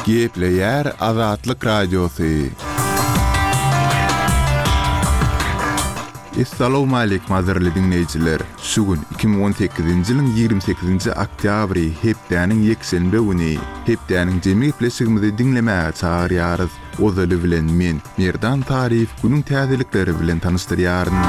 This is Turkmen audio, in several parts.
Gepleýär Azatlyk Radiosy. Essalawmaleýkim gadyrly diňleýjiler! Şu gün 2018-nji ýylyň 28-nji oktýabry, hepdäniň ýekşenbe güni. Hepdäniň jemi gepleşigimizi diňlemäge çagyrýarys. Ozaly bilen men, Merdan Taryýew günüň täzelikleri bilen tanyşdyrýaryn.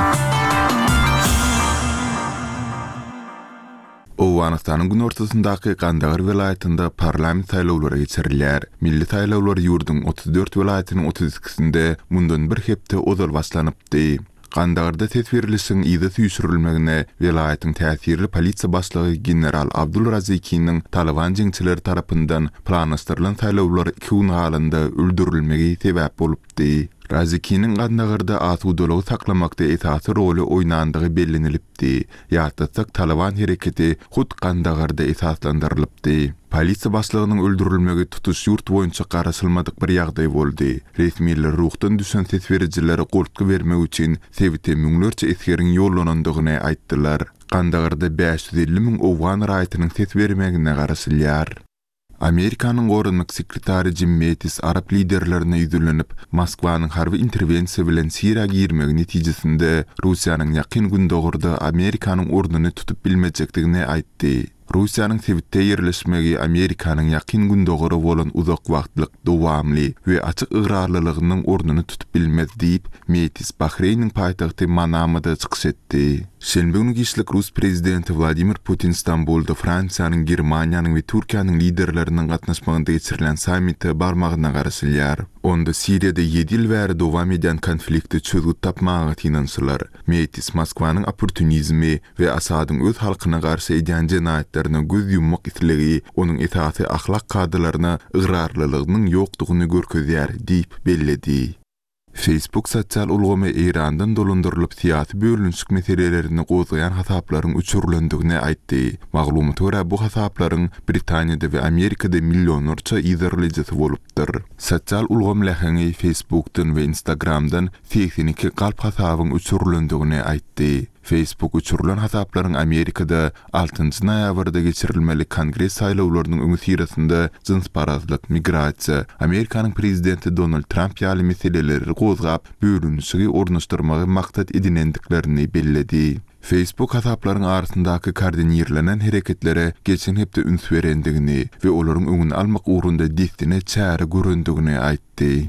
Owganystanyň günortasyndaky Gandagar welaýatynda parlament saýlawlary geçirilýär. Milli saýlawlar ýurduň 34 welaýatynyň 32-sinde mundan bir hepde ozal başlanypdy. Gandagarda ses berlişigiň yza süýşürilmegine welaýatyň täsirli polisiýa başlygy general Abdul Razikiniň Talyban jeňçileri tarapyndan planlaşdyrylan saýlawlara iki gün galanda öldürilmegi sebäp bolupdy. Razikiniň Gandagarda asudalygy saklamakda esasy roly oýnandygy bellenilipdi. Ýatlatsak, Talyban hereketi hut Gandagarda esaslandyrylypdy. Polisiýa başlygynyň öldürilmegi tutuş ýurt boýunça garaşylmadyk bir ýagdaý boldy. Resmiler ruhdan düşen ses berijilere goltgy bermek üçin sebite müňlerçe esgeriň ýollanandygyny aýtdylar. Gandagarda 550 müň owgan raýatynyň ses bermegine garaşylýar. Amerikanyň goranmak sekretary Jim Mettis arap liderlerine ýüzlenip, Moskwanyň harby interwensiýa bilen Siriýa girmegi netijesinde Russiýanyň Ýakyn Gündogarda Amerikanyň ornuny tutup bilmejekdigini aýtdy. Russiýanyň sebitde ýerleşmegi Amerikanyň Ýakyn Gündogara bolan uzak wagtlyk, dowamly we açyk ygrarlylygynyň ornuny tutup bilmez diýip, Mettis Bahreýniň paýtagty Manamada çykyş etdi. Şenbe güni giçlik rus prezidenti Wladimir Putin Stambulda Fransiýanyň, Germaniýanyň we Türkiýäniň liderleriniň gatnaşmagynda geçirilen sammite barmagyna garaşylýar. Onda Siriýada ýedi ýyl bäri dowam edýän konflikte çözgüt tapmaga synanyşylar. Mettis Moskwanyň opportunizmi we Asadyň öz halkyna garşy edýän jenaýatlaryna göz ýummak islegi onuň esasy ahlak kadalaryna ygrarlylygynyň ýokdugyny görkezýär diýip belledi. Facebook sosial ulgamy Eýrandan dolandyrylyp syýasy bölünişik meselelerini gozgaýan hasaplaryň öçürilendigini aýtdy. Maglumata görä bu hasaplaryň Britaniýada we Amerikada millionlarça yzarlaýjysy bolupdyr. Sosial ulgam läheňi Facebookdan we Instagramdan 82 galp hasabyň öçürilendigini aýtdy. Facebook öçürilen hasaplaryň Amerikada altynjy noýabrda geçirilmeli Kongres saýlawlarynyň öňüsyrasynda jynsparazlyk, migrasiýa, Amerikanyň prezidenti Donald Tramp ýaly meseleleri gozgap, bölünişigi ornaşdyrmagy maksat edinendiklerini belledi. Facebook hasaplaryň arasyndaky koordinirlenen hereketlere geçen hepde üns berendigini we olaryň öňüni almak ugrunda dessine çäre görendigini aýtdy.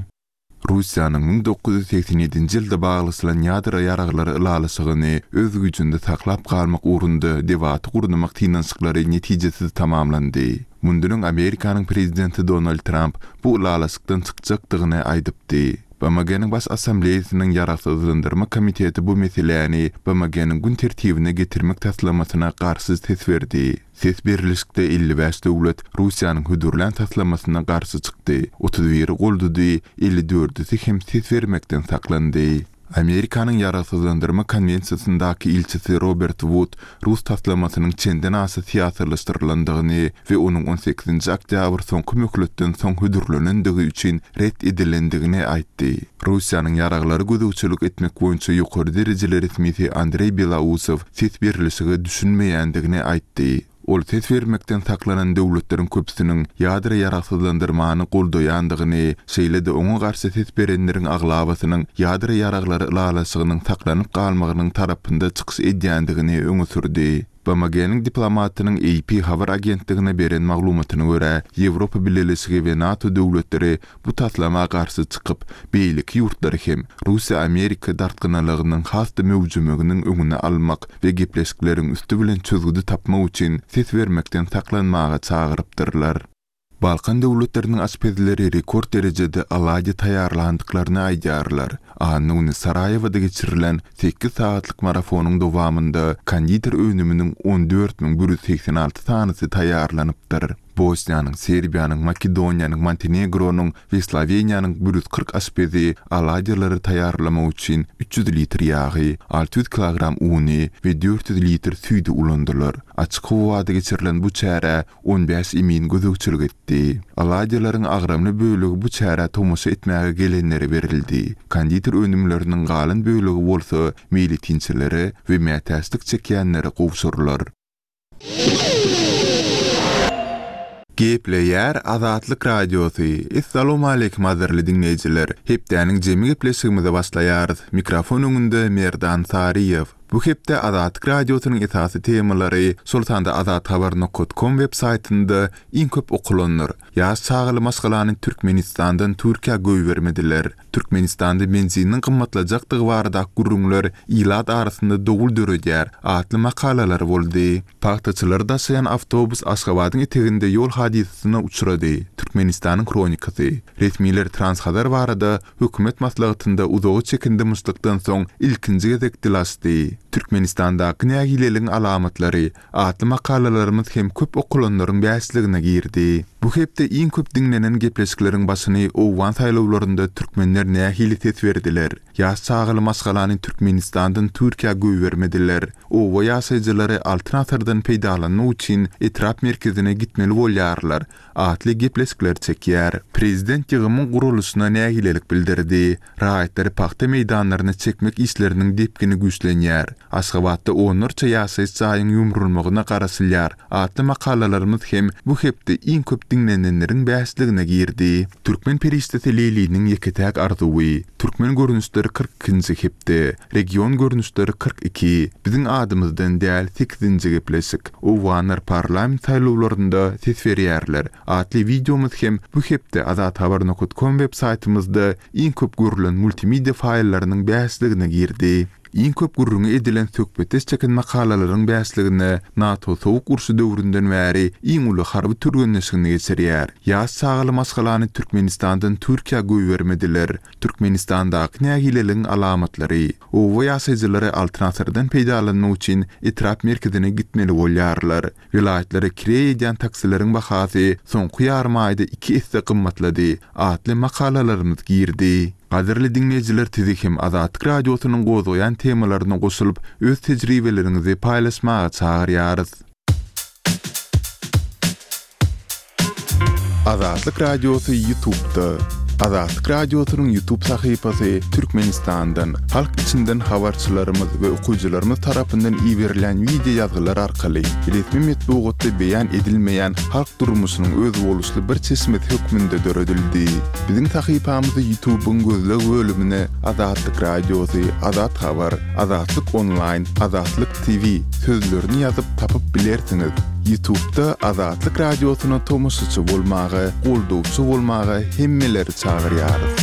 Russiýanyň 1987-nji ýylda baglaşylan ýadro ýaraglary ylalaşygyny öz güýjünde saklap galmak ugrunda debaty gurnamak synanyşyklary netijesiz tamamlandy. Mundan öň Amerikanyň prezidenti Donald Tramp bu ylalaşykdan çykjakdygyny aýdypdy. BMG-niň Baş Assambleýasynyň Ýaragsyzlandyrma komiteti bu meseläni BMG-niň gün tertibine getirmek taslamasyna garşy ses berdi. Ses berlişikde 55 döwlet Russiýanyň hödürlän taslamasyna garşy çykdy, 31-i goldady, 54-üsi hem ses bermekden saklandy. Amerikanyň Ýaragsyzlandyrma konwensiýasyndaky ilçisi Robert Wud rus taslamasynyň çenden-aşa syýasylaşdyrylandygyny we onuň on sekizinji oktýabr soňky möhletden soň hödürlenendigi üçin ret edilendigini aýtdy. Russiýanyň ýaraglara gözegçilik etmek boýunça ýokary derejeli resmisi Andreý Belausow ses berlişige düşünmeýändigini aýtdy. Ol ses bermekden saklanan döwletleriň köpüsiniň ýadro ýaragsyzlandyrmany goldaýandygyny, şeýle-de oňa garşy ses berenleriň aglabasynyň ýadro ýaraglary ylalaşygynyň saklanyp galmagynyň tarapynda çykyş edýändigini öňe sürdi. BMG-niň diplomatynyň AP habar agentligine beren maglumatyna görä, Ýewropa Bileleşigi we NATO döwletleri bu taslama garşy çykyp, beýleki ýurtlary hem Russiýa-Amerika dartgynlylygynyň has-da möwjemeginiň öňüni almak we gepleşikleriň üsti bilen çözgüdi tapmak üçin ses bermekden saklanmaga çagyrypdyrlar. Balkan döwletleriniň aşpezleri rekord derejede oladýa taýýarlandyklaryny aýdýarlar. Anna güni Saraýewoda geçirilen sekiz sagatlyk marafonyň dowamynda konditer önüminiň 14 186 sanysy taýýarlanypdyr. Bosniýanyň, Serbiýanyň, Makedoniýanyň, Montenegronyň we Sloweniýanyň 140 aşpezi oladýalary taýýarlamak üçin 300 litr ýagy, 600 kilogram uny we 400 litr süýdi ulandylar. Açyk howada geçirilen bu çärä 15 emin gözegçilik etdi. Oladýalaryň agramly bölegi bu çärä tomaşa etmäge gelenlere berildi. Konditer önümleriniň galan bölegi bolsa meýletinçilere we mätäçlik çekýänlere gowşurylar. Gepleýär Azatlyk Radiosy, Essalawmaleýkim gadyrly diňleýjiler! Hepdäniň jemi gepleşigimize başlaýarys. Mikrofon öňünde Merdan Saryýew. Bu hepde Azatlyk Radiosynyň esasy temalary, şol sanda azathabar nokat kom web saýtynda iň köp okalanlar, Ýaş çagaly maşgalany Türkmenistandan Türkiýä goýbermediler, Türkmenistanda benziniň gymmatlajakdygy baradaky gürrüňler ilat arasynda dowul döredýär atly makalalar boldy. Pagtaçylary daşaýan awtobus Aşgabadyň eteginde ýol hadysasyna uçrady, Türkmenistanyň hronikasy. Resmiler Transhazar barada hökümet maslahatynda uzaga çeken dymyşlykdan soň ilkinji gezek dil açdy. Türkmenistandaky nägileligiň alamatlary atly makalalarymyz hem köp okalanlaryň bäşligine girdi. Bu hepde iň köp diňlenen gepleşikleriň başyny owgan saýlawlarynda türkmenler nähili ses berdiler? Ýaş çagaly maşgalany Türkmenistandan Türkiýä goýbermediler. Oba ýaşaýjylary Altyn asyrdan peýdalanmak üçin etrap merkezine gitmeli bolýarlar atly gepleşikler çekýär. Prezident ýygymyň guralyşyna nägilelik bildirdi. Raýatlary pagta meýdanlaryna çekmek işleriniň depgini güýçlenýär. Aşgabatda onlarça ýaşaýyş jaýyň ýumrulmagyna garaşylýar atly makalalarymyz hem bu hepde iň köp diňlenenleriň bäşligine girdi. Türkmen perişdesi Leýliniň ýeke-täk arzuwy, Türkmen görnüşleri 42-nji hepde, Region görnüşleri 42, Biziň adymyzdan däl sekizinji gepleşik, Owganlar parlament saýlawlarynda ses berýärler atly wideomyz hem bu hepde azathabar nokat kom web saýtymyzda iň köp görülen multimedia faýllarynyň bäşligine girdi. Iň köp gürrüňi edilen söhbetdeş çeken makalalaryň bäşligine NATO Sowuk urşy döwründen bäri iň uly harby türgenleşigini geçirýär. Ýaş çagaly maşgalany Türkmenistandan Türkiýä goýbermediler. Türkmenistandaky nägileligiň alamatlary. Oba ýaşaýjylary Altyn asyrdan peýdalanmak üçin etrap merkezine gitmeli bolýarlar. Welaýatlara kireý edýän taksileriň bahasy soňky ýarym aýda iki esse gymmatlady atly makalalarymyz girdi. Gadyrly diňleýjiler sizi hem Azatlyk Radiosynyň gozgaýan temalaryna goşulyp öz tejribeleriňizi paýlaşmaga çagyrýarys. Azatlyk Radiosy Ýutubda Azatlyk Radiosynyň Ýutub sahypasy Türkmenistandan, halk içinden habarçylarymyz we okyjylarymyz tarapyndan iberilýän wideo ýazgylar arkaly resmi metbugatda beýan edilmeýän halk durmuşynyň özboluşly bir çeşmesi hökmünde döredildi. Biziň sahypamyzy Ýutubyň gözleg bölümine Azatlyk Radiosy, Azat Habar, Azatlyk Onlaýn, Azatlyk TV sözlerini ýazyp tapyp bilersiňiz. Ýutubda Azatlyk Radiosyna tomaşaçy bolmaga, goldawçy bolmaga hemmeleri çagyrýarys.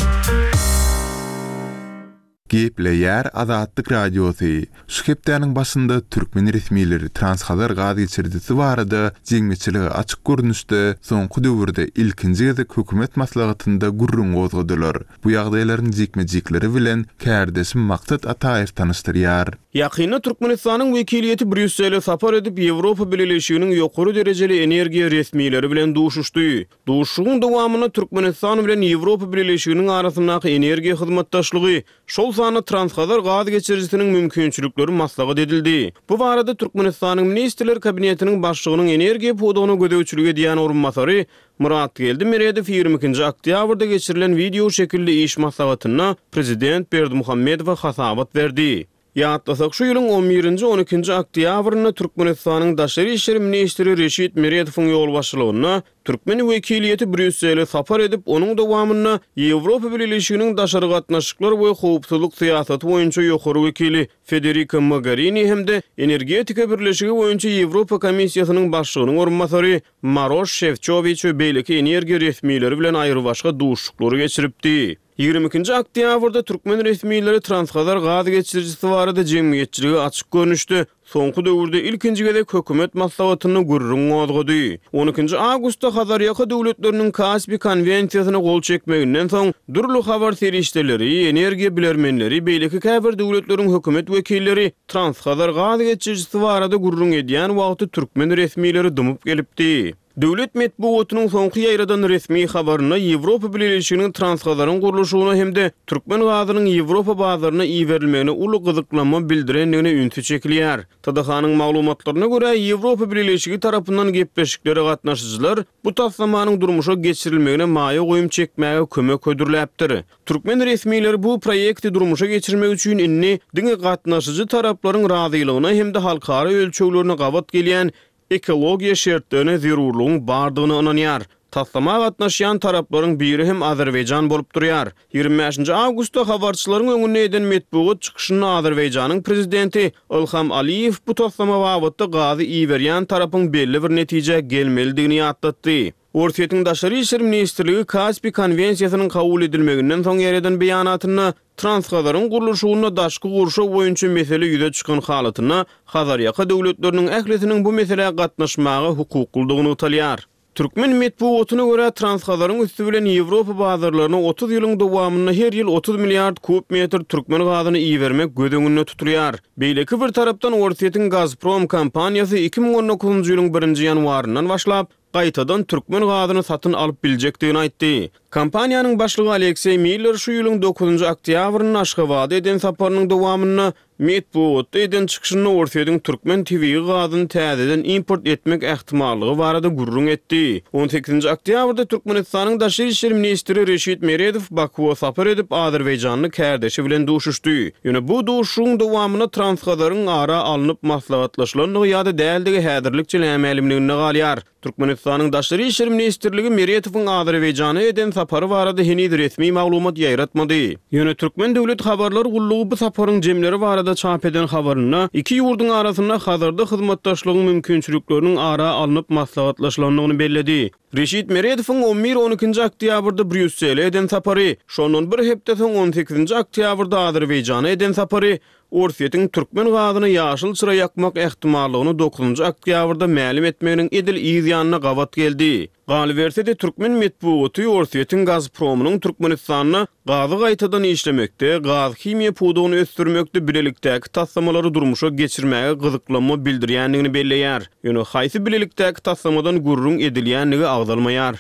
Gepleýär Azatlyk Radiosy, Şu hepdäniň başynda türkmen resmileri Transhazar gaz geçirijisi barada jemgyýetçilige açyk görnüşde soňky döwürde ilkinji gezek hökümet maslahatynda gürrüň gozgadylar. Bu ýagdaýlaryň jikme-jikleri bilen kärdeşim Maksat Ataýew tanyşdyrýar. Ýakynda Türkmenistanyň wekiliýeti Brýussele sapar edip, Ýewropa Bileleşiginiň ýokary derejeli energiýa resmileri bilen duşuşdy. Duşuşygyň dowamynda Türkmenistan bilen Ýewropa Bileleşiginiň arasyndaky energiýa hyzmatdaşlygy, şol sanda Transhazar gaz geçirijisiniň mümkinçilikleri maslahat edildi. Bu barada Türkmenistanyň Ministrler Kabinetiniň Başlygynyň energiýa pudagyna gözegçilik edýän orunbasary Myratgeldi Meredow 22-nji oktýabrda geçirilen wideo şekilli iş maslahatynda prezident Berdimuhamedowa hasabat berdi. Ýatlasak, şu ýylyň on birinji, on ikinji oktýabrynda Türkmenistanyň daşary işler ministri Reşit Meredowyň ýolbaşçylygynda türkmen wekiliýeti Brýussele sapar edip, onuň dowamynda Ýewropa Bileleşiginiň daşary gatnaşyklar we howpsuzlyk syýasaty boýunça ýokary wekili Federika Mogerini hem-de Energetika birleşigi boýunça Ýewropa Komissiýasynyň başlygynyň orunbasary Maroş Şefçowiç we beýleki energiýa resmileri bilen aýrybaşga duşuşyklary geçiripdi. 22-nji oktýabrda türkmen resmileri Transhazar gaz geçirijisi barada jemgyýetçilige açyk görnüşde soňky döwürde ilkinji gezek hökümet maslahatynda gürrüň gozgady. On ikinji awgustda Hazarýaka döwletleriniň Kaspi konwensiýasyna gol çekmeginden soň, dürli habar serişdeleri, energiýa bilermenleri, beýleki käbir döwletleriň hökümet wekilleri Transhazar gaz geçirijisi barada gürrüň edýän wagty türkmen resmileri dymyp gelipdi. Döwlet metbugatynyň soňky ýaýradan resmi habarynda Ýewropa Bileleşiginiň Transhazaryň gurluşygyna hem-de türkmen gazynyň Ýewropa bazaryna iberilmegine uly gyzyklanma bildirendigine ünsi çekilýär. TDH-nyň maglumatlaryna görä, Ýewropa Bileleşigi tarapyndan gepleşiklere gatnaşyjylar bu taslamanyň durmuşa geçirilmegine maýa goýum çekmäge kömek hödürläpdir. Türkmen resmileri bu proýekti durmuşa geçirmek üçin indi diňe gatnaşyjy taraplaryň razylygyna hem-de halkara ölçeglerine gabat gelýän. ekologiýa şertlerine zerurlygyň bardygyna ynanýar. Taslama gatnaşýan taraplaryň biri hem Azerbaýjan bolup durýar. 25 nji awgustda habarçylaryň öňünde eden metbugat çykyşynda Azerbaýjanyň prezidenti Ilham Aliýew bu taslama babatda gazy iberýän tarapyň belli bir netijä gelmelidigini ýatlatdy. Orsýetiň Daşary işler ministrligi Kaspi konwensiýasynyň kabul edilmeginden soň ýaýradan beýanatynda, Transhazaryň gurluşygynda daşky gurşaw boýunça mesele ýüze çykan halatynda Hazarýaka döwletleriniň ählisiniň bu meselä gatnaşmaga hukuklydygy nygtalýar. Türkmen metbugatyna görä, Transhazaryň üsti bilen Ýewropa bazarlaryna 30 ýylyň dowamynda her ýyl 30 milliard kub metr türkmen gazyny ibermek göz öňünde tutulýar. Beýleki bir tarapdan, Orsýetiň Gazprom kompaniýasy 2019-njy ýylyň birinji ýanwaryndan başlap, gaýtadan türkmen gazyny satyn alyp biljekdigini aýtdy. Kompaniýanyň başlygy Alekseý Miller şu ýylyň dokuzynjy oktýabrynda Aşgabada eden saparynyň dowamynda metbugatda eden çykyşynda Orsýetiň türkmen tebigy gazyny täzeden import etmek ähtimallygy barada gürrüň etdi. On sekizinji oktýabrda Türkmenistanyň daşary işler ministri Reşit Meredow Bakuwa sapar edip, azerbaýjanly kärdeşi bilen duşuşdy. Ýöne bu duşuşygyň dowamynda Transhazaryň ara alnyp maslahatlaşylandygy ýa-da däldigi häzirlikçe nämälimliginde galýar. Türkmenistanyň Daşary işler ministrligi Meretowyň Azerbaýjana eden sapary barada heniz resmi maglumat ýaýratmady. Ýöne Türkmen döwlet habarlar gullugy bu saparyň jemleri barada çap eden habarynda iki ýurduň arasynda Hazarda hyzmatdaşlygyň mümkinçilikleriniň ara alnyp maslahatlaşylandygyny belledi. Reşit Meredowyň on bir-on ikinji oktýabrda Brýussele eden sapary, şondan bir hepde soň on sekizinji oktýabrda Azerbaýjana eden sapary, Orsýetiň türkmen gazyna ýaşyl çyra ýakmak ähtimallygyny dokuzynjy oktýabrda mälim etmeginiň edil yz ýanyna gabat geldi. Galyberse-de, türkmen metbugaty Orsýetiň Gazpromynyň Türkmenistanda gazy gaýtadan işlemekde, gaz-himiýa pudagyny ösdürmekde bilelikdäki taslamalary durmuşa geçirmäge gyzyklanma bildirýändigini belleýär. Ýöne haýsy bilelikdäki taslamadan gürrüň edilýändigi agzalmaýar.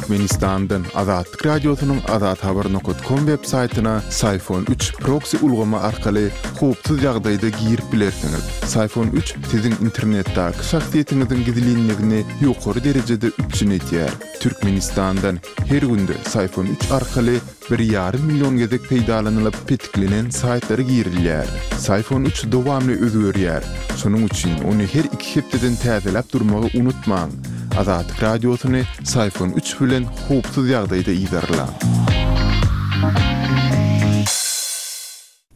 Türkmenistandan Azatlyk Radiosynyň azathabar nokat kom web saýtyna Syfon üç proksi ulgamy arkaly howpsuz ýagdaýda girip bilersiňiz. Syfon üç siziň internetdäki şahsyýetiňiziň gizlinligini ýokary derejede üpjün edýär. Türkmenistandan her günde Syfon üç arkaly Bir ýarym million gezek peýdalanylyp petiklenen saýtlara girilýär. Syfon üç dowamly özgerýär. Şonuň üçin ony her iki hepdeden täzeläp durmagy unutmaň. Azatlyk Radiosyny Syfon üç bilen howpsuz ýagdaýda yzarlaň.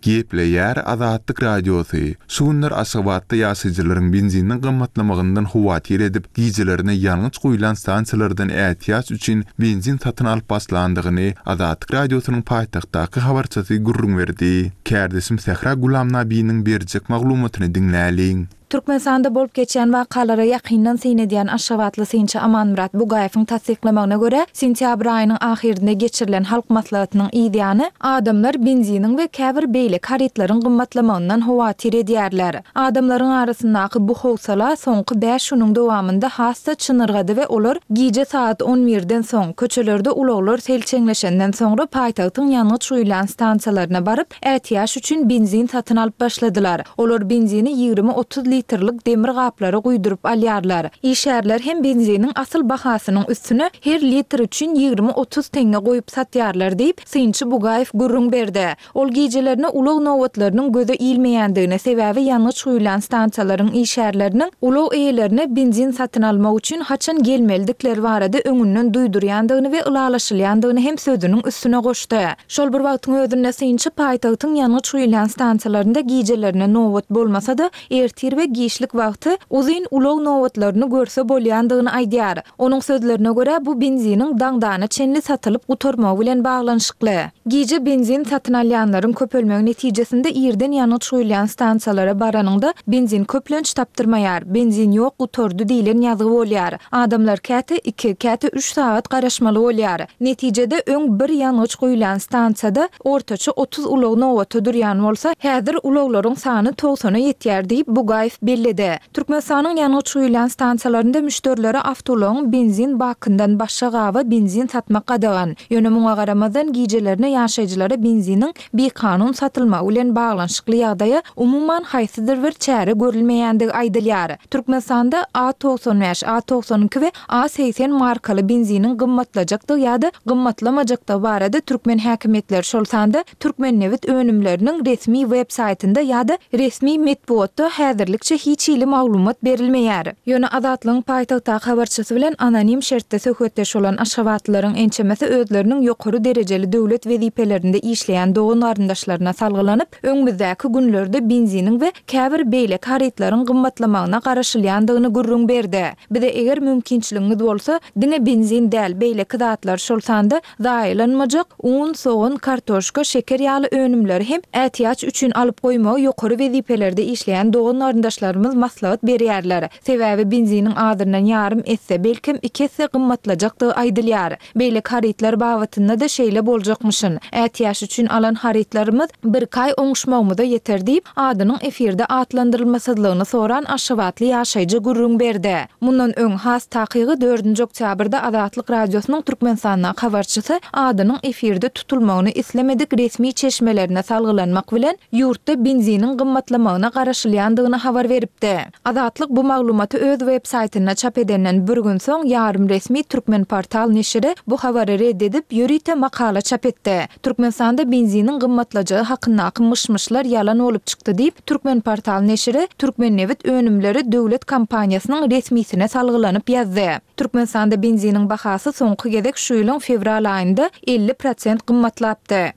Gepleýär Azatlyk Radiosy, Şu günler Aşgabatda ýaşaýjylaryň benziniň gymmatlamagyndan howatyr edip, gijelerine ýangyç guýlan stansiýalardan ätiýaç üçin benzin satyn alyp başlandygyny Azatlyk Radiosynyň paýtagtdaky habarçysy gürrüň berdi. Kärdeşim Sähra Gulamnabiniň berjek maglumatyny diňläliň. Türkmenistanda bolup geçýän wakalara ýakyndan syn edýän aşgabatly synçy Amanmyrat Bugaýewiň tassyklamagyna görä, sentýabr aýynyň ahyrynda geçirilen Halk Maslahatynyň yzýany, adamlar benziniň we käbir beýleki harytlaryň gymmatlamagyndan howatyr edýärler. Adamlaryň arasyndaky bu howsala soňky bäş günüň dowamynda has-da çynyrgady we olar gije sagat on birden soň, köçelerde ulaglar selçeňleşenden soňra paýtagtyň ýangyç guýulýan stansiýalaryna baryp, ätiýaç üçin benzin satyn alyp başladylar. Olar benzini 20-30 litrlik demir gaplara guýduryp alýarlar. Işgärler hem benziniň asyl bahasynyň üstüne her litr üçin 20-30 teňňe goýup satýarlar diýip, synçy Bugaýew gürrüň berdi. Ol gijelerine ulag nobatlarynyň göze ilmeýändigini, sebäbi ýangyç guýulýan stansiýalaryň işgärleriniň ulag eýelerine benzin satyn almak üçin haçan gelmelidikleri barada öňünden duýdurýandygyny we ylalaşylýandygyny hem sözüniň üstüne goşdy. Şol bir wagtyň özünde synçy paýtagtyň ýangyç guýulýan stansiýalarynda gijelerine nobat bolmasa-da, ertir we giçlik wagty uzyn ulag nobatlaryny görse bolýandygyny aýdýar. Onuň sözlerine görä, bu benziniň daňdana çenli satylyp gutarmagy bilen baglanyşykly. Gije benzin satyn alýanlaryň köpelmegi netijesinde irden ýangyç guýulýan stansiýalara baranyňda benzin köplenç tapdyrmaýar, benzin ýok gutardy diýlen ýazgy bolýar. Adamlar käte iki, käte üç sagat garaşmaly bolýar. Netijede, öň bir ýangyç guýulýan stansiýada ortaça 30 ulag nobata durýan bolsa, häzir ulaglaryň sany togsana ýetýär diýip, Bugaýew. belledi. Türkmenistanyň ýangyç guýulýan stansiýalarynda müşderilere awtoulagyň benzin bakyndan başga gaba benzin satmak gadagan. Ýöne muňa garamazdan, gijelerine ýaşaýjylara benziniň bikanun satylmagy bilen baglanyşykly ýagdaýa umuman haýsydyr bir çäre görülmeýändigi aýdylýar. Türkmenistanda A 95, A 92 we A 80 markaly benziniň gymmatlajakdygy ýa-da gymmatlamajakdygy barada türkmen häkimiýetleri, şol sanda Türkmennebit önümleriniň resmi web saýtynda ýa-da resmi metbugatda häzirlikçe hiç hili maglumat berilmeýär. Ýöne Azatlygyň paýtagtdaky habarçysy bilen anonim şertde söhbetdeş bolan aşgabatlylaryň ençemesi özleriniň ýokary derejeli döwlet wezipelerinde işleýän dogan-garyndaşlaryna salgylanyp, öňümizdäki günlerde benziniň we käbir beýleki harytlaryň gymmatlamagyna garaşylýandygyny gürrüň berdi. Bize eger mümkinçiligiňiz bolsa, diňe benzin däl, beýleki zatlar, şol sanda Zaýalanmajak un, sogan, kartoşka, şeker ýaly önümleri hem ätiýaç üçin alyp goýmagy ýokary wezipelerde işleýän dogan-garyndaşlarymyz maslahat berýärler. Sebäbi benziniň azyndan ýarym esse, belkem iki esse gymmatlajakdygy aýdylýar. Beýleki harytlar babatynda-da şeýle boljakmyşyn. Ätiýaç üçin alan harytlarymyz birki aý oňuşmagymyza ýeter diýip, adynyň efirde atlandyrylmasyzlygyny soran aşgabatly ýaşaýjy gürrüň berdi. Mundan öň, has takygy dördünji oktýabrda Azatlyk Radiosynyň Türkmenistandaky habarçysy adynyň efirde tutulmagyny islemedik resmi çeşmelerine salgylanmak bilen, ýurtda benziniň gymmatlamagyna garaşylýandygyny habar beripdi. Azatlyk bu maglumaty öz web saýtynda çap edenden bir gün soň, ýarym resmi Turkmenportal neşiri bu habary red edip, ýörite makala çap etdi. Türkmenistanda benziniň gymmatlajagy hakyndaky myş-myşlar ýalan bolup çykdy diýip, Türkmenportal neşiri Türkmennebit önümleri döwlet kompaniýasynyň resmisine salgylanyp ýazdy. Türkmenistanda benziniň bahasy soňky gezek şu ýylyň fewral aýynda 50 prosent gymmatlapdy.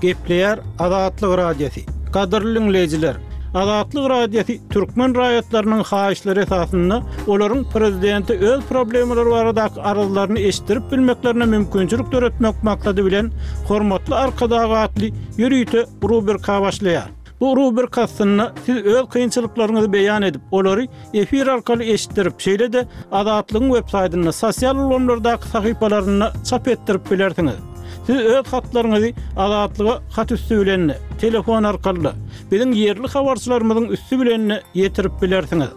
Gepleýär Azatlyk Radiosy. Gadyrly diňleýjiler! Azatlyk Radiosy türkmen raýatlarynyň haýyşlary esasynda olaryň prezidente öz problemalary baradaky arzlaryny eşitdirip bilmeklerine mümkinçilik döretmek maksady bilen Hormatly Arkadag atly ýörite rubrika başlaýar. Bu rubrika astynda siz öz kynçylyklaryňyzy beýan edip, olary efir arkaly eşitdirip, şeýle-de Azatlygyň websaýtynda, sosial ulgamlardaky sahypalarynda çap etdirip bilersiňiz. Siz öz hatlaryňyzy Azatlyga hat üsti bilen-de, telefon arkaly-da, biziň ýerli habarçylarymyzyň üsti bilen-de ýetirip bilersiňiz.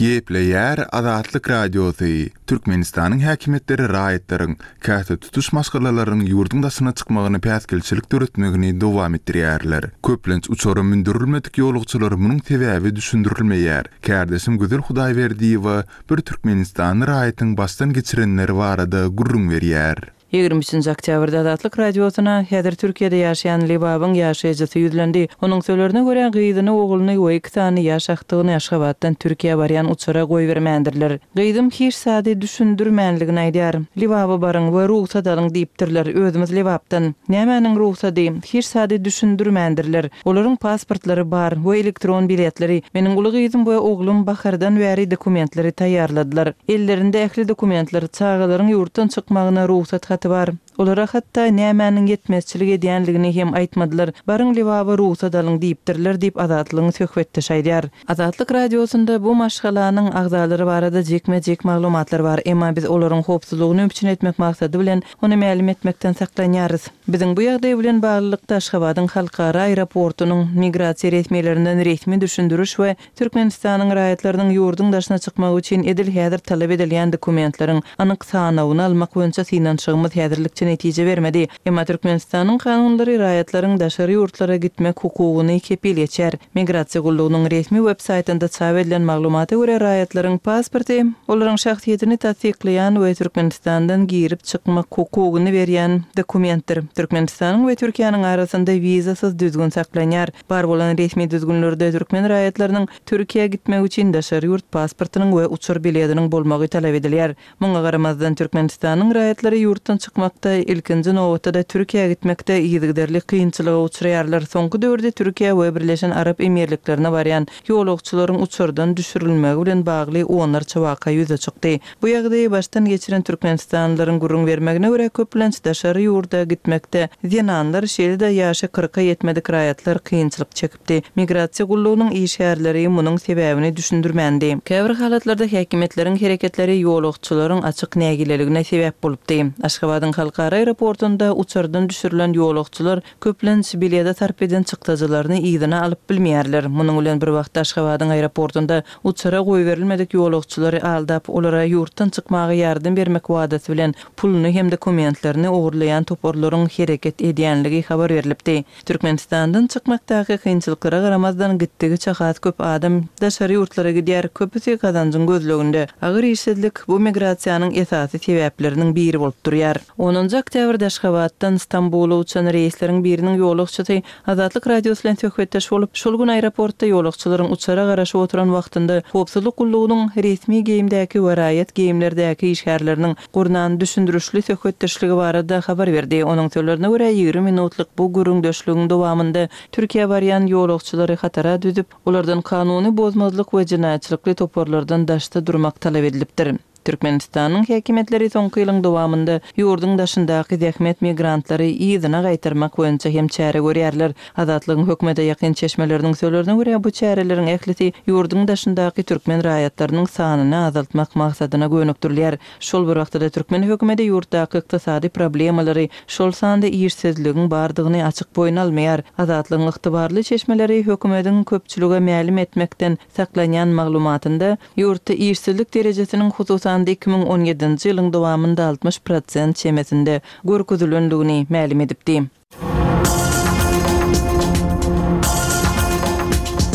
Gepleýär Azatlyk Radiosy, Türkmenistanyň häkimiýetleri raýatlaryň, käte tutuş maşgalalaryň ýurduň daşyna çykmagyna päsgelçilik döretmegini dowam etdirýärler. Köplenç uçara mündürilmedik ýolagçylara munuň sebäbi düşündirilmeýär. Kärdeşim Gözel Hudaýberdiýewa bir türkmenistanly raýatyň başdan geçirenleri barada gürrüň berýär. 23-nji oktýabrda Azatlyk Radiosyna häzir Türkiýede ýaşaýan Lebabyň ýaşaýjysy ýüzlendi. Onuň sözlerine görä, gyzyny, ogluny we iki sany ýaş agtygyny Aşgabatdan Türkiýä barýan uçara goýbermändirler. Gyzym hiç zady düşündirmänligini aýdýar. Lebaba baryň we rugsat alyň diýipdirler. Özümiz Lebapdan. Nämäniň rugsady? Hiç zady düşündirmändirler. Olaryň pasportlary bar we elektron biletleri. Meniň uly gyzym we oglum bahardan bäri dokumentleri taýýarladylar. Ellerinde ähli dokumentler, çagalaryň ýurtdan çykmagyna rugsat haty bar. Olara hatda nämäniň ýetmezçilik edýänligini hem aýtmadylar. Baryň Lebaba rugsat alyň diýipdirler diýip Azatlygyň söhbetdeşi aýdýar. Azatlyk Radiosynda bu maşgalanyň agzalary barada jikme-jik maglumatlar bar, emma biz olaryň howpsuzlygyny üpjün etmek maksady bilen ony mälim etmekden saklanýarys. Biziň bu ýagdaý bilen baglylykda Aşgabadyň halkara aeroportunyň migrasiýa resmilerinden resmi düşündiriş we Türkmenistanyň raýatlarynyň ýurduň daşyna çykmagy üçin edil häzir talap edilýän dokumentleriň anyk sanawyny almak boýunça synanyşygymyz häzirlikçe netije bermedi. Emma Türkmenistanyň kanunlary raýatlaryň daşary ýurtlara gitmek hukugyny kepil geçýär. Migrasiýa gullugynyň resmi web saýtynda çap edilen maglumata görä, raýatlaryň pasporty, olaryň şahsyýetini tassyklaýan we Türkmenistandan girip-çykmak hukugyny berýän dokumentdir. Türkmenistanyň we Türkiýäniň arasynda wizasyz düzgün saklanýar. Bar bolan resmi düzgünlerde türkmen raýatlarynyň Türkiýä gitmegi üçin daşary ýurt pasportynyň we uçar biletiniň bolmagy talap edilýär. Muňa garamazdan, Türkmenistanyň raýatlary ýurtdan çykmakda, ilkinji nobatda-da Türkiýä gitmekde yzygiderli kynçylyga uçraýarlar. Soňky döwürde Türkiýä we Birleşen Arap Emirliklerine barýan ýolagçylaryň uçardan düşürilmegi bilen bagly onlarça waka ýüze çykdy. Bu ýagdaýy başdan geçiren türkmenistanlylaryň gürrüň bermegine görä, köplenç daşary ýurda gitmekde zenanlar, şeýle-de ýaşy kyrka ýetmedik raýatlar kynçylyk çekipdi. Migrasiýa gullugynyň işgärleri munuň sebäbini düşündirmändi. Käbir halatlarda häkimiýetleriň hereketleri ýolagçylaryň açyk nägileligine sebäp bolupdy. Aşgabadyň halkara. Halkara aeroportunda uçardan düşürilen ýolagçylar köplenç bilede sarp eden çykdajylaryny yzyna alyp bilmeýärler. Munuň bilen bir wagtda Aşgabadyň aeroportunda uçara goýberilmedik ýolagçylary aldap, olara ýurtdan çykmaga ýardam bermek wadasy bilen puluny hem dokumentlerini ogurlaýan toparlaryň hereket edýänligi habar berlipdi. Türkmenistandan çykmakdaky kynçylyklara garamazdan, gitdigiçe has köp adam daşary ýurtlara gidýär, köpüsi gazanjyň gözleginde. Agyr işsizlik bu migrasiýanyň esasy sebäpleriniň biri bolup durýar. Onunjy oktýabrda Aşgabatdan Stambula uçan reýsleriň biriniň ýolagçysy Azatlyk Radiosy bilen söhbetdeş bolup, şol gün aeroportda ýolagçylaryň uçara garaşyp oturan wagtynda howpsuzlyk gullugynyň resmi geýimdäki we raýat geýimlerdäki işgärleriniň gurnan düşündirişli söhbetdeşligi barada habar berdi. Onuň sözlerine görä, 20 minutlyk bu gürrüňdeşligiň dowamynda Türkiýä barýan ýolagçylary hatara düzüp, olardan kanuny bozmazlyk we jenaýatçylykly toparlardan daşda durmak talap edilipdir. Türkmenistanyň häkimiýetleri soňky ýylyň dowamynda ýurduň daşyndaky zähmet migrantlary yzyna gaýtarmak boýunça hem çäre görýärler. Azatlygyň hökümete ýakyn çeşmeleriniň sözlerine görä, bu çäreleriň ählisi ýurduň daşyndaky türkmen raýatlarynyň sanyny azaltmak maksadyna gönükdirilýär. Şol bir wagtda-da türkmen hökümeti ýurtdaky ykdysady problemalary, şol sanda işsizligiň bardygyny açyk boýun almaýar. Azatlygyň ygtybarly çeşmeleri hökümetiň köpçülige mälim etmekden saklanýan maglumatynda, ýurtda işsizlik derejesiniň hususan-da 2017-nji ýylyň dowamynda 60 prosent çemesinde görkezilendigini mälim edipdi.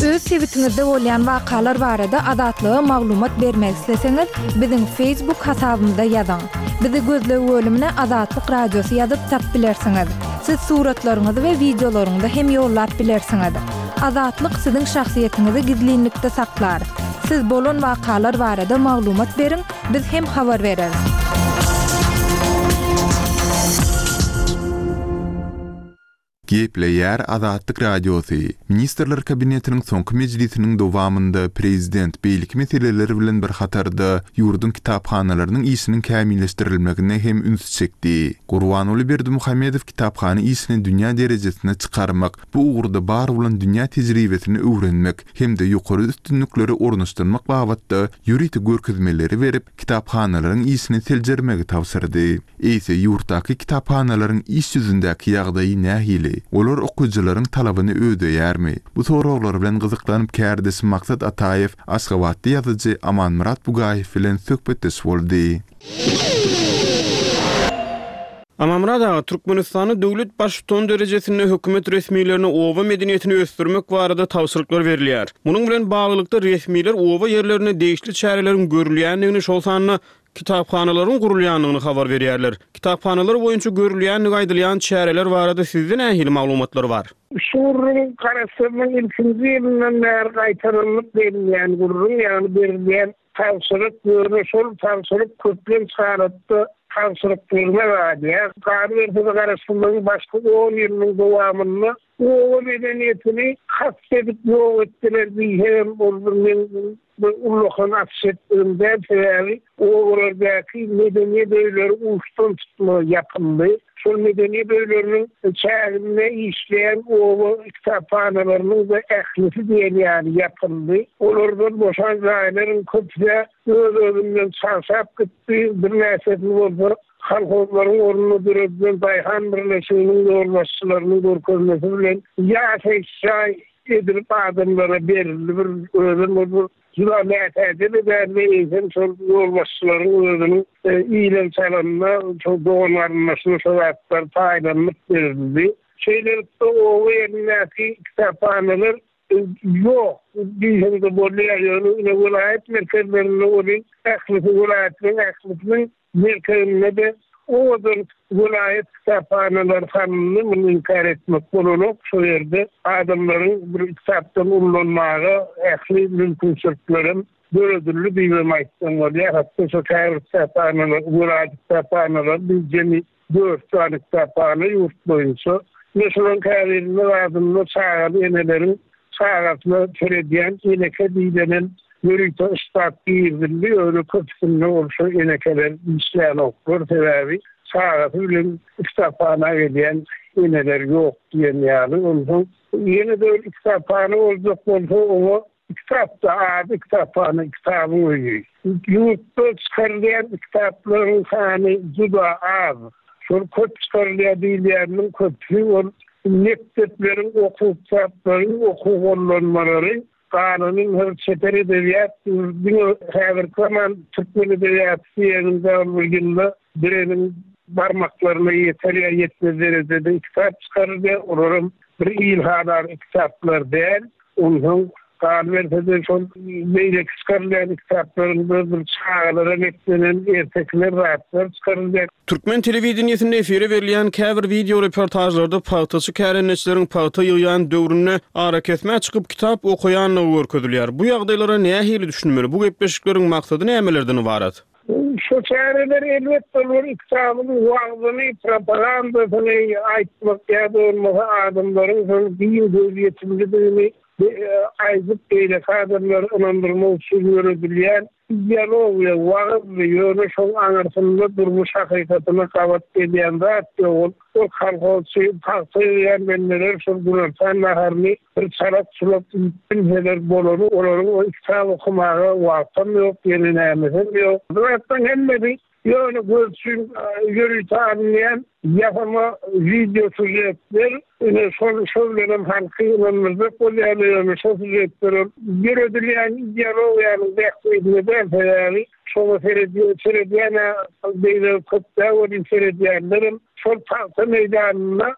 Öz sebitiňizde bolýan wakalar barada Azatlyga maglumat bermek isleseňiz, biziň Facebook hasabymyza ýazyň. Bizi gözleg bölümine Azatlyk Radiosy ýazyp tap bilersiňiz. Siz suratlaryňyzy we wideolaryňyzy hem ýollap bilersiňiz. Azatlyk siziň şahsyýetiňizi gizlinlikde saklar. Siz bolan wakalar barada maglumat beriň, Biz hem habar bereris. Gepleýär Azatlyk Radiosy, Ministrler Kabinetiniň soňky mejlisiniň dowamynda prezident beýleki meseleler bilen bir hatarda ýurduň kitaphanalarynyň işiniň kämilleşdirilmegine hem üns çekdi. Gurbanguly Berdimuhamedow kitaphana işini dünýä derejesine çykarmak, bu ugurda bar bolan dünýä tejribesini öwrenmek hem-de ýokary üstünlikleri ornaşdyrmak babatda ýörite görkezmeleri berip, kitaphanalaryň işini seljermegi tabşyrdy. Eýse, ýurtdaky kitaphanalaryň iş ýüzündäki ýagdaýy nähili? Olar okyjylaryň talabyny ödeýärmi? Bu soraglar bilen gyzyklanyp kärdeşim Maksat Ataýew aşgabatly ýazyjy Amanmyrat Bugaýew bilen söhbetdeş boldy. Amanmyrat aga, Türkmenistanda döwlet Baştutany derejesinde hökümet resmilerine oba medeniýetini ösdürmek barada tabşyryklar berilýär. Munuň bilen baglylykda, resmiler oba ýerlerinde degişli çäreleriň görülýändigini, şol sanda kitaphanalaryň gurulýandygyny habar berýärler. Kitaphanalar boýunça görülýändigi aýdylýan çäreler barada sizde nähili maglumatlar bar? Şu gürrüň Garaşsyzlygyň ilkinji ýylyndan bäri gaýtalanlyp berilýän gürrüň, ýagny berilýän Tabşyryk, ýöne şol tabşyryk köplenç halatda tabşyryklygyna galýar. Galyberse-de garaşsyzlygyň başky on ýylynyň dowamynda oba medeniýetini kast edip ýok etdiler diýsegem ol bir meň bir ullakan açyş etdigim däl, sebäbi obalardaky medeniýet öýleri uçdan tutma ýapyldy. Şol medeniýet öýleriniň çäginde işleýän oba kitaphanalarynyň-da ählisi diýen ýaly ýapyldy. Olardan boşan jaýlaryň köpüsi öz-özünden çagşap gitdi, birnäçesini bolsa kolhozlaryň ornuna döredilen daýhan birleşiginiň ýolbaşçylarynyň görkezmesi bilen ýaşaýyş jaý edilip adamlara berildi. Bir özem ol bir Juda mätäje-de däldi, eýsem şol ýolbaşçylaryň özüniň ilen-çalanyna, şol dogan-garyndaşyna şo zatlar paýlanylyp berildi. Şeýlelikde, oba ýerindäki kitaphanalar ýok diýseň-de bolýar, ýöne ine welaýat merkezlerinde welin ählisi welaýatlaryň ählisiniň Merkezinde-de owadan welaýat kitaphanalary salyndy, muny inkär etmek bolanok. Şol ýerde adamlaryň bir kitapdan ullanmaga ähli mümkinçiliklerem döredildi diýibem aýtsaň bolýar. Hatda şo käbir kitaphanalar, welaýat kitaphanalary biz jemi dört sany kitaphana ýurt boýunça. Ine şolaryň käbirinde zadynda çagaly eneleriň çagasyna seredýän eneke diýlenem ýörite ştat girizildi, ýöne köpüsinde ol şo enekeler işlänoklar, sebäbi çagasy bilen kitaphana gelýän eneler ýok diýen ýaly. Onsoň ýene-de bir kitaphana boljak bolsa oňa Kitapda ady kitaphana, kitabyň öýi. Ýurtda çykarylýan kitaplaryň sany juda az. Şol köp çykarylýar diýilýäniniň köpüsi ol mekdepleriň okuw kitaplary, okuw gollanmalary, galany her çeper edebiýat diňe häzirki zaman türkmen edebiýaty diýeniňde ol bir ýylda biriniň barmaklaryna ýeter ýa ýetmez derejede kitap çykarylýar, olaram bir ilhalar kitaplar däl. Onsoň galyberse-de şol beýleki çykarylýan kitaplaryň bir bir çagalara niýetlenen ertekiler zatlar çykarylýar. Türkmen telewideniýesinde efire berilýän käbir wideo reportažlarda pagtaçy kärendeçileriň pagta ýygýan döwründe arakesmä çykyp kitap okaýandygy görkezilýär. Bu ýagdaýlara nähili düşünmeli? Bu gepleşikleriň maksady nämelerden ybarat? Şu çäreler elbetde olar kitabyň wagzyny, propagandasyny aýtmak ýa-da bolmasa adamlaryň şol giň gözýetimlidigini aýdyp beýleki adamlary ynandyrmak üçin ýöredilýän ideologiýa, wagyzdy, ýöne şoň aňyrsynda durmuş hakykatyna gabat gelýän zat ýok. Ol ol kolhozçy, pagta ýygýan bendeler şol günortan naharyny Bir çalak-çulak iýip bilseler bolany, olaryň o kitap okamaga wagtam ýok, ýene nämesem ýok. Bu zatlaryň hemmesi ýöne göz üçin ýörite alynýan ýasama wideo sýužetler, ine şol şo bilenem halky ynandyrjak bolýarlar, ýöne şo sýužetler ol döredilýän ideologiýanyň bähbidine däl, sebäbi Şoňa seredýän-ä beýle köp däl welin seredýänlerem şol pagta meýdanyna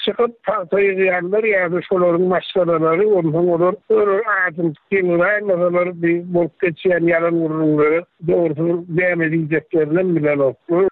çykyp pagta ýygýanlar ýa-da şolaryň maşgalalary onsoň olar olar ajymtyk ýygyraýmasalar bi bolup geçýän ýalan gürrüňlere dogrusy näme diýjeklerinem bilenoklar.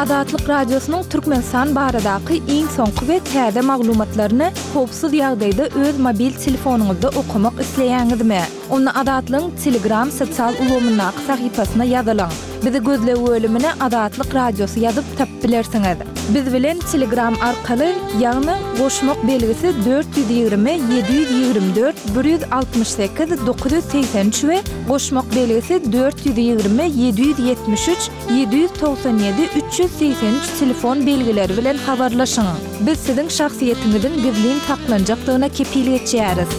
Azatlyk Radiosynyň Türkmenistan baradaky iň soňky we täze maglumatlaryny howpsuz ýagdaýda öz mobil telefonyňyzda okamak isleýäňizmi? Onda Azatlygyň Telegram sosial ulgamyndaky sahypasyna ýazylyň. Bizi gözleg bölümine Azatlyk Radiosy ýazyp tapyp bilersiňiz. Biz bilen Telegram arkaly, ýagny goşmak belgisi 420 724 168 983 we goşmak belgisi 420 773 797 383 telefon belgileri bilen habarlaşyň. Biz siziň şahsyýetiňiziň gizlin saklanjakdygyna kepil geçýäris.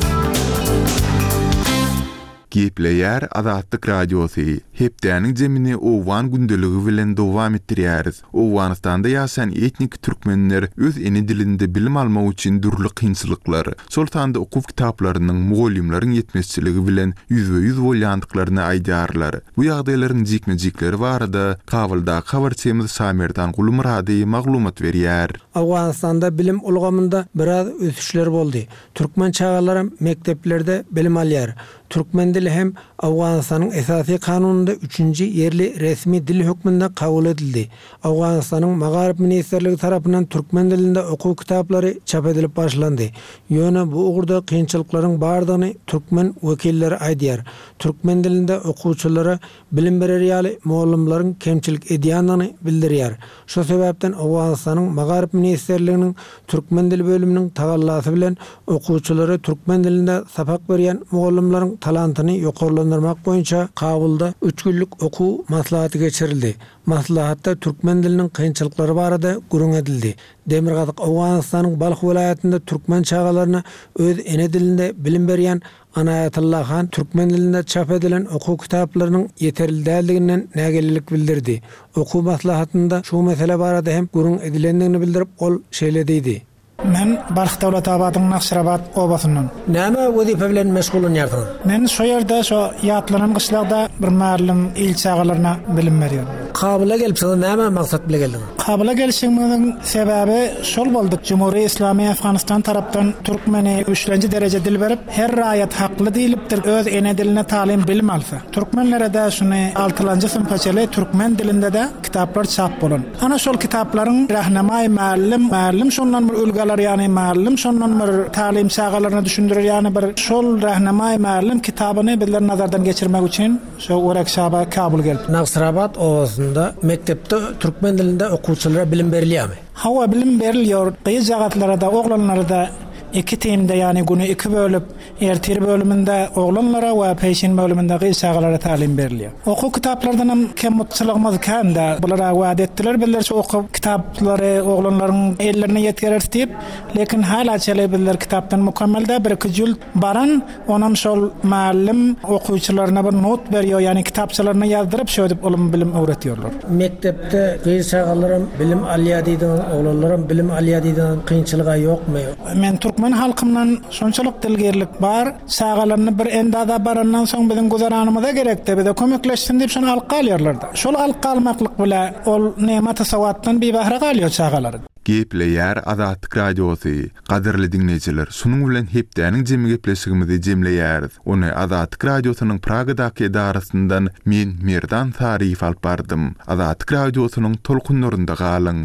Gepleýär Azatlyk Radiosy, Hepdäniň jemini Owgan gündeligi bilen dowam etdirýäris. Owganystanda ýaşaýan etniki türkmenler öz ene dilinde bilim almak üçin dürli kynçylyklar, şol sanda okuw kitaplarynyň, mugallymlaryň ýetmezçiligi bilen ýüzbe-ýüz bolýandyklaryny aýdýarlar. Bu ýagdaýlaryň jikme-jikleri barada Kabuldaky habarçymyz Şamerdan Gulmyrady maglumat berýär. Owganystanda bilim ulgamynda biraz ösüşler boldy. Türkmen çagalaram mekdeplerde bilim alýar. Türkmen dili hem Owganystanyň Esasy Kanunynda üçünji ýerli resmi dil hökmünde kabul edildi. Owganystanyň Magaryf ministrligi tarapyndan türkmen dilinde okuw kitaplary çap edilip başlandy. Ýöne bu ugurda kynçylyklaryň bardygyny türkmen wekilleri aýdýar. Türkmen dilinde okuwçylara bilim berer ýaly mugallymlaryň kemçilik edýändigini bildirýär. Şu sebäpden Owganystanyň Magaryf ministrliginiň türkmen dili bölüminiň tagallasy bilen okuwçylara türkmen dilinde sapak berýän mugallymlaryň talantyny ýokarlandyrmak boýunça Kabulda üç günlük okuw maslahaty geçirildi. Maslahatda türkmen diliniň kynçylyklary barada gürrüň edildi. Demirgazyk Owganystanyň Balh welaýatynda türkmen çagalaryna öz ene dilinde bilim berýän Anaýatylla han türkmen dilinde çap edilen okuw kitaplarynyň ýeterli däldiginden nägilelik bildirdi. Okuw maslahatynda şu mesele barada hem gürrüň edilendigini bildirip, ol şeýle diýdi. Men Balh Döwletabadyň Nagşyrabat obasyndan. Näme wezipe bilen meşgullanýarsyňyz? Men şo ýerde, şo ýatlanan gyşlagda bir mugallym il çagalaryna bilim berýän. Kabula gelipsiňiz, näme maksat bile geldiňiz? Kabula gelişigimiziň sebäbi şol boldy, Jumhuri Islami Afganistan tarapdan türkmeni üçlenji dereje dil berip, her raýat hakly diýlipdir öz ene diline talim bilim alsa. Türkmenlerede şuny altylanjy synpa çeli türkmen dilindede kitaplar çap bolan. Ana şol kitaplaryň Rahnamaý mugallym, mugallym şondan bir ülgi alar ýany mugallym şondan bir talim çagalaryna düşündirer ýany bir şol Rahnamaý mugallym kitabyny bizler nazardan geçirmek üçin Şo Orakşaba Kabul gelip. Nagsrabat obasynda mekdepde türkmen dilinde okuwçylara bilim berilýärmi? Hawa, bilim berilýär. Gyzjagazlara-da, oglanlara-da. Iki timde ýagny güni iki bölüp ertir bölüminde oglanlara we peşin bölüminde gyz çagalara talim berilýär. Okuw kitaplardanam kemutçylygymyz kän-dä. Bular-a wada etdiler bizler şu okuw kitaplary oglanlaryň ellerine ýetgereris diýip. Lekin hala çele bizler kitapdan mukemmel däl bir-iki jült baran, onam şol mugallym okuwçylaryna bir not berýär, ýagny kitapçalaryna ýazdyryp şöýdüp ylym-bilim öwretýärler. Mekdepde gyz çagalaram bilim alýar diýdiňiz, oglanlaram bilim alýar diýdiňiz, kynçylyg-a ýokmy? Men türkmen halkyndan şonçalyk dilgirlik bar, çagalaryny bir endaza barandan soň biziň güzeranymyza gerekde, bize kömekleşsin diýip şony alyp galýarlar-da. Şol alyp galmaklyk bile ol nematy-sowatdan bibahra galýar çagalar. Gepleýär Azatlyk Radiosy. Gadyrly diňleýjiler, şunuň bilen hepdäniň jemi gepleşigimizi jemleýäris. Ony Azatlyk Radiosynyň Pragadaky edarasyndan men, Merdan Saryýew alyp bardym. Azatlyk Radiosynyň tolkunlarynda galyň!